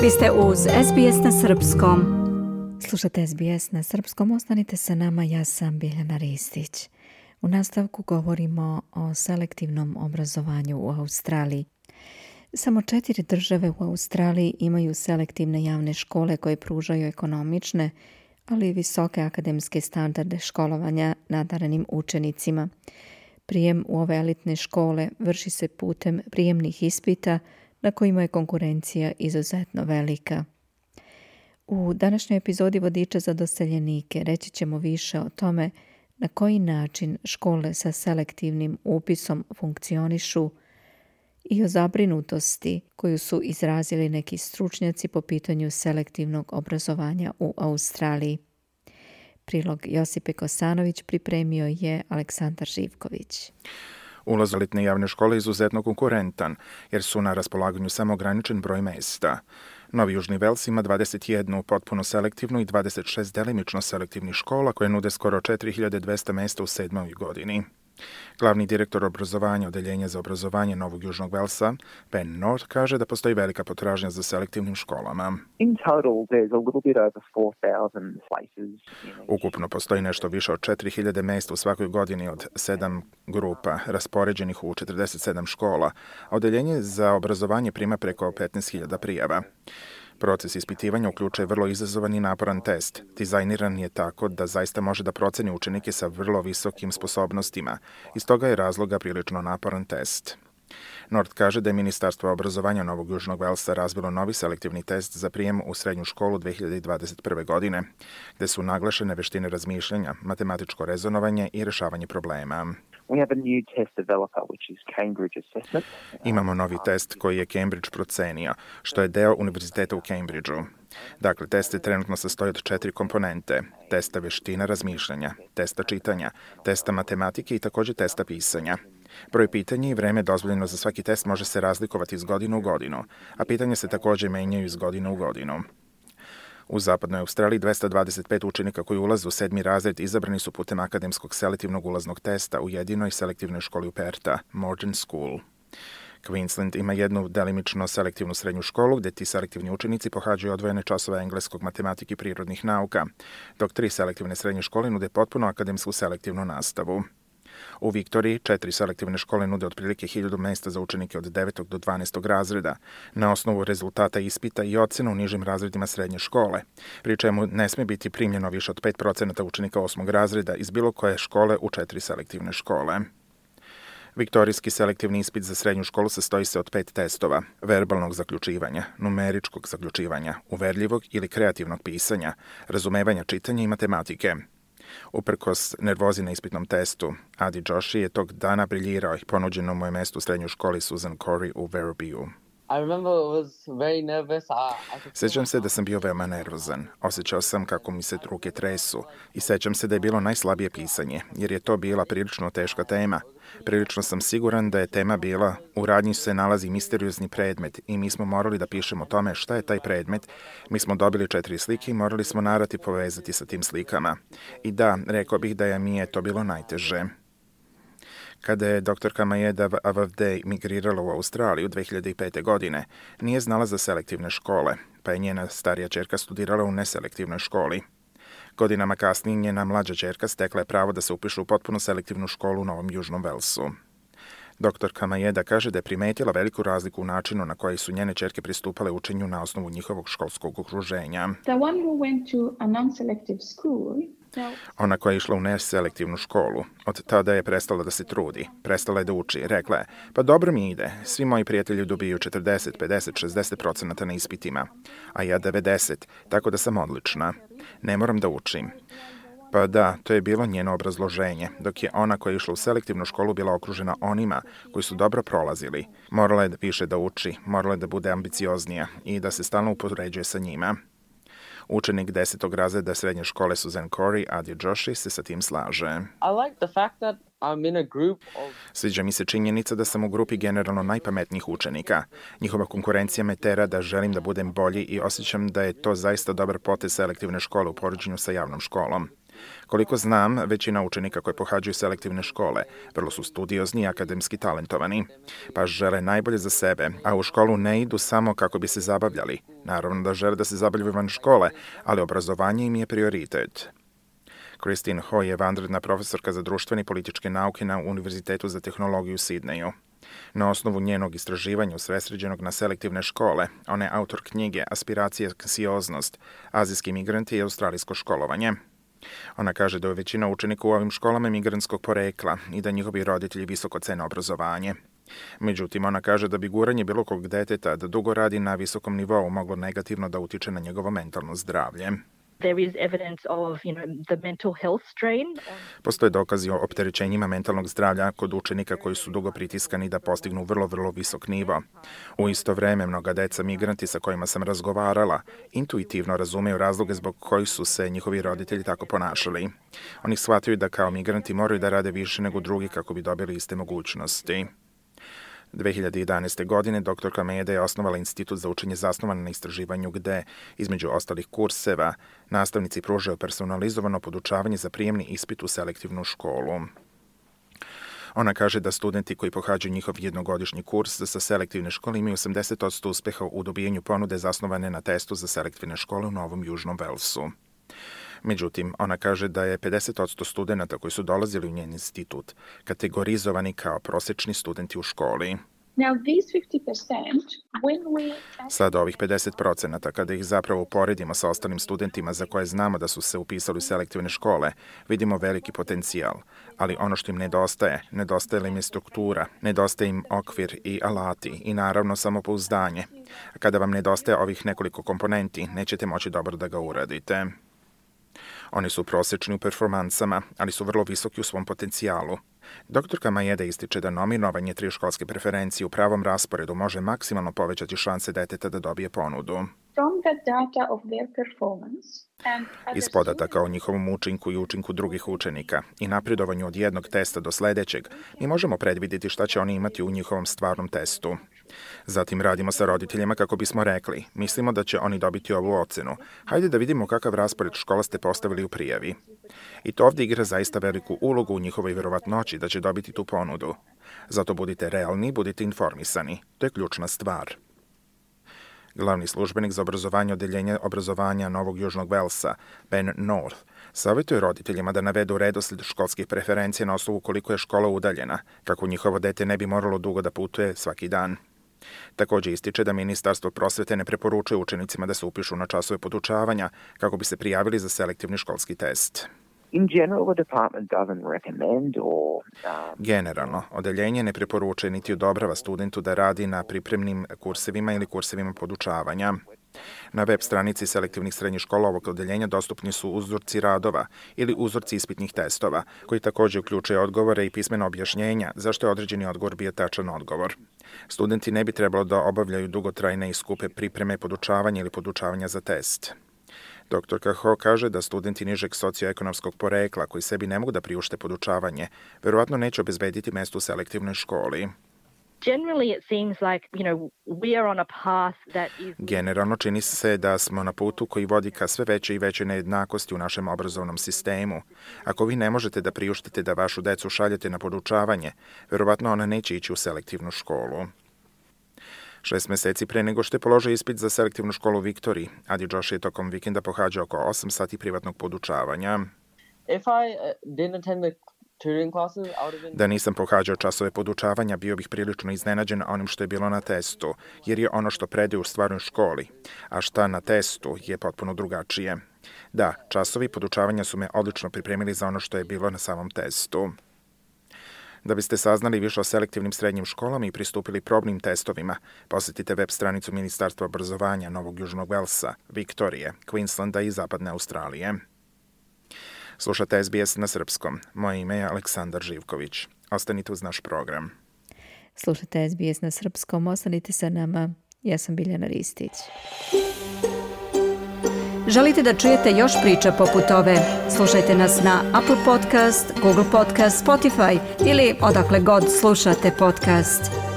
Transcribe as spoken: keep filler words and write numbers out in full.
Vi ste uz S B S na srpskom. Slušate S B S na srpskom, ostanite sa nama, ja sam Biljana Ristić. U nastavku govorimo o selektivnom obrazovanju u Australiji. Samo četiri države u Australiji imaju selektivne javne škole koje pružaju ekonomične, ali i visoke akademske standarde školovanja nadarenim učenicima. Prijem u ove elitne škole vrši se putem prijemnih ispita na kojima je konkurencija izuzetno velika. U današnjoj epizodi Vodiča za doseljenike reći ćemo više o tome na koji način škole sa selektivnim upisom funkcionišu i o zabrinutosti koju su izrazili neki stručnjaci po pitanju selektivnog obrazovanja u Australiji. Prilog Josipe Kosanović pripremio je Aleksandar Živković. Ulaz u elitne javne škole je izuzetno konkurentan, jer su na raspolaganju samo ograničen broj mesta. Novi Južni Vels ima dvadeset jednu potpuno selektivnu i dvadeset šest delimično selektivnih škola koje nude skoro četiri hiljade dvesta mesta u sedmoj godini. Glavni direktor obrazovanja Odeljenja za obrazovanje Novog Južnog Velsa, Ben North, kaže da postoji velika potražnja za selektivnim školama. In total, there's a little bit over four thousand places. Ukupno postoji nešto više od četiri hiljade mesta u svakoj godini od sedam grupa, raspoređenih u četrdeset sedam škola, a Odeljenje za obrazovanje prima preko petnaest hiljada prijava. Proces ispitivanja uključuje vrlo izazovan i naporan test. Dizajniran je tako da zaista može da proceni učenike sa vrlo visokim sposobnostima. Iz toga je razloga prilično naporan test. North kaže da je Ministarstvo obrazovanja Novog Južnog Velsa razvilo novi selektivni test za prijem u srednju školu dve hiljade dvadeset prve. godine, gde su naglašene veštine razmišljanja, matematičko rezonovanje i rešavanje problema. We have a new test developer, which is Cambridge Assessment. Imamo novi test koji je Cambridge procenio, što je deo Univerziteta u Cambridgeu. Dakle, test je trenutno sastoji od četiri komponente. Testa veština razmišljanja, testa čitanja, testa matematike i također testa pisanja. Broj pitanja i vreme dozvoljeno za svaki test može se razlikovati iz godine u godinu, a pitanja se također menjaju iz godine u godinu. U zapadnoj Australiji dvesta dvadeset pet učenika koji ulaze u sedmi razred izabrani su putem akademskog selektivnog ulaznog testa u jedinoj selektivnoj školi u Perta, Morton School. Queensland ima jednu delimično selektivnu srednju školu gdje ti selektivni učenici pohađaju odvojene časove engleskog, matematike i prirodnih nauka, dok tri selektivne srednje škole nude potpuno akademsku selektivnu nastavu. U Viktoriji četiri selektivne škole nude otprilike hiljadu mesta za učenike od devetog do dvanaestog razreda, na osnovu rezultata ispita i ocena u nižim razredima srednje škole, pri čemu ne sme biti primljeno više od pet procenata učenika osmog razreda iz bilo koje škole u četiri selektivne škole. Viktorijski selektivni ispit za srednju školu sastoji se od pet testova: verbalnog zaključivanja, numeričkog zaključivanja, uverljivog ili kreativnog pisanja, razumevanja čitanja i matematike. Uprkos nervozi na ispitnom testu, Adi Joshi je tog dana briljirao i ponuđeno mu je mesto u srednjoj školi Susan Corey u Werribee. I remember it was very nervous. I, I Sećam se da sam bio veoma nervozan. Osjećao sam kako mi se ruke tresu i sećam se da je bilo najslabije pisanje, jer je to bila prilično teška tema. Prilično sam siguran da je tema bila u radnji se nalazi misteriozni predmet i mi smo morali da pišemo o tome šta je taj predmet. Mi smo dobili četiri slike i morali smo narativ povezati sa tim slikama. I da, rekao bih da je mi je to bilo najteže. Kada je doktorka Majeda Avavdej migrirala u Australiju dve hiljade pete. godine, nije znala za selektivne škole, pa je njena starija ćerka studirala u neselektivnoj školi. Godinama kasnije njena mlađa ćerka stekla je pravo da se upiše u potpuno selektivnu školu u Novom Južnom Velsu. Doktorka Majeda kaže da je primetila veliku razliku u načinu na koji su njene ćerke pristupale učenju na osnovu njihovog školskog okruženja. The one who went to a non-selective school. Ona koja je išla u neselektivnu školu, od tada je prestala da se trudi, prestala je da uči. Rekla je, pa dobro mi ide, svi moji prijatelji dobiju četrdeset, pedeset, šezdeset procenata na ispitima, a ja devedeset, tako da sam odlična. Ne moram da učim. Pa da, to je bilo njeno obrazloženje, dok je ona koja je išla u selektivnu školu bila okružena onima koji su dobro prolazili. Morala je više da uči, morala je da bude ambicioznija i da se stalno upoređuje sa njima. Učenik desetog razreda srednje škole Susan Corey, Adi Joshi, se sa tim slaže. I like the fact that I'm in a group of... Sviđa mi se činjenica da sam u grupi generalno najpametnijih učenika. Njihova konkurencija me tera da želim da budem bolji i osjećam da je to zaista dobar potez selektivne škole u poređenju sa javnom školom. Koliko znam, većina učenika koji pohađaju selektivne škole vrlo su studiozni i akademski talentovani, pa žele najbolje za sebe, a u školu ne idu samo kako bi se zabavljali. Naravno da žele da se zabavljaju van škole, ali obrazovanje im je prioritet. Christine Ho je vanredna profesorka za društvene i političke nauke na Univerzitetu za tehnologiju u Sidneju. Na osnovu njenog istraživanja usredsređenog na selektivne škole, ona je autor knjige Aspiracija, anksioznost, azijski migranti i australijsko školovanje. Ona kaže da je većina učenika u ovim školama migrantskog porekla i da njihovi roditelji visoko cene obrazovanje. Međutim, ona kaže da bi guranje bilo kog deteta da dugo radi na visokom nivou moglo negativno da utiče na njegovo mentalno zdravlje. There is evidence of, you know, the mental health strain. Postoje dokazi o opterećenjima mentalnog zdravlja kod učenika koji su dugo pritiskani da postignu vrlo, vrlo visok nivo. U isto vreme, mnoga deca migranti sa kojima sam razgovarala intuitivno razumeju razloge zbog kojih su se njihovi roditelji tako ponašali. Oni shvataju da kao migranti moraju da rade više nego drugi kako bi dobili iste mogućnosti. dve hiljade jedanaeste. godine doktorka Maeda je osnovala institut za učenje zasnovan na istraživanju gde, između ostalih kurseva, nastavnici pružaju personalizovano podučavanje za prijemni ispit u selektivnu školu. Ona kaže da studenti koji pohađaju njihov jednogodišnji kurs sa selektivne škole imaju osamdeset posto uspeha u dobijanju ponude zasnovane na testu za selektivne škole u Novom Južnom Velsu. Međutim, ona kaže da je pedeset posto studenta koji su dolazili u njen institut kategorizovani kao prosečni studenti u školi. Now, these fifty percent, when we... Sada ovih pedeset procenata, kada ih zapravo uporedimo sa ostalim studentima za koje znamo da su se upisali u selektivne škole, vidimo veliki potencijal. Ali ono što im nedostaje, nedostaje im je struktura, nedostaje im okvir i alati i naravno samopouzdanje. A kada vam nedostaje ovih nekoliko komponenti, nećete moći dobro da ga uradite. Oni su prosečni u performansama, ali su vrlo visoki u svom potencijalu. Doktorka Maeda ističe da nominovanje tri školske preferencije u pravom rasporedu može maksimalno povećati šanse deteta da dobije ponudu. From the data of their performance and other Iz podataka o njihovom učinku i učinku drugih učenika i napredovanju od jednog testa do sledećeg, mi možemo predvidjeti šta će oni imati u njihovom stvarnom testu. Zatim radimo sa roditeljima kako bismo rekli, mislimo da će oni dobiti ovu ocenu. Hajde da vidimo kakav raspored škola ste postavili u prijavi. I to ovdje igra zaista veliku ulogu u njihovoj verovatnoći da će dobiti tu ponudu. Zato budite realni, budite informisani. To je ključna stvar. Glavni službenik za obrazovanje odeljenja obrazovanja Novog Južnog Velsa, Ben North, savjetuje roditeljima da navedu redosled školskih preferencija na osnovu koliko je škola udaljena, kako njihovo dete ne bi moralo dugo da putuje svaki dan. Također ističe da Ministarstvo prosvete ne preporučuje učenicima da se upišu na časove podučavanja kako bi se prijavili za selektivni školski test. In general, the department doesn't recommend or... Um, Generalno, odeljenje ne preporučuje niti odobrava studentu da radi na pripremnim kursevima ili kursevima podučavanja. Na web stranici selektivnih srednjih škola ovog odeljenja dostupni su uzorci radova ili uzorci ispitnih testova, koji također uključuje odgovore i pismena objašnjenja zašto je određeni odgovor bio tačan odgovor. Studenti ne bi trebalo da obavljaju dugotrajne i skupe pripreme podučavanja ili podučavanja za test. Doktorka Ho kaže da studenti nižeg socioekonomskog porekla koji sebi ne mogu da priušte podučavanje, verovatno neće obezbediti mesto u selektivnoj školi. Generally, it seems like, you know, we are on a path that is... Generalno čini se da smo na putu koji vodi ka sve veće i veće nejednakosti u našem obrazovnom sistemu. Ako vi ne možete da priuštite da vašu decu šaljete na podučavanje, verovatno ona neće ići u selektivnu školu. Šest meseci pre nego što je položio ispit za selektivnu školu u Viktoriji, Adi Josh je tokom vikenda pohađao oko osam sati privatnog podučavanja. If I uh, didn't attend the tutoring classes, I would have been... Da nisam pohađao časove podučavanja, bio bih prilično iznenađen onim što je bilo na testu, jer je ono što predaju u stvarnoj školi, a šta na testu je potpuno drugačije. Da, časovi podučavanja su me odlično pripremili za ono što je bilo na samom testu. Da biste saznali više o selektivnim srednjim školama i pristupili probnim testovima, posjetite web stranicu Ministarstva obrazovanja Novog Južnog Velsa, Viktorije, Queenslanda i Zapadne Australije. Slušate S B S na srpskom. Moje ime je Aleksandar Živković. Ostanite uz naš program. Slušate S B S na srpskom. Ostanite sa nama. Ja sam Biljana Ristić. Želite da čujete još priča poput ove? Slušajte nas na Apple Podcast, Google Podcast, Spotify ili odakle god slušate podcast.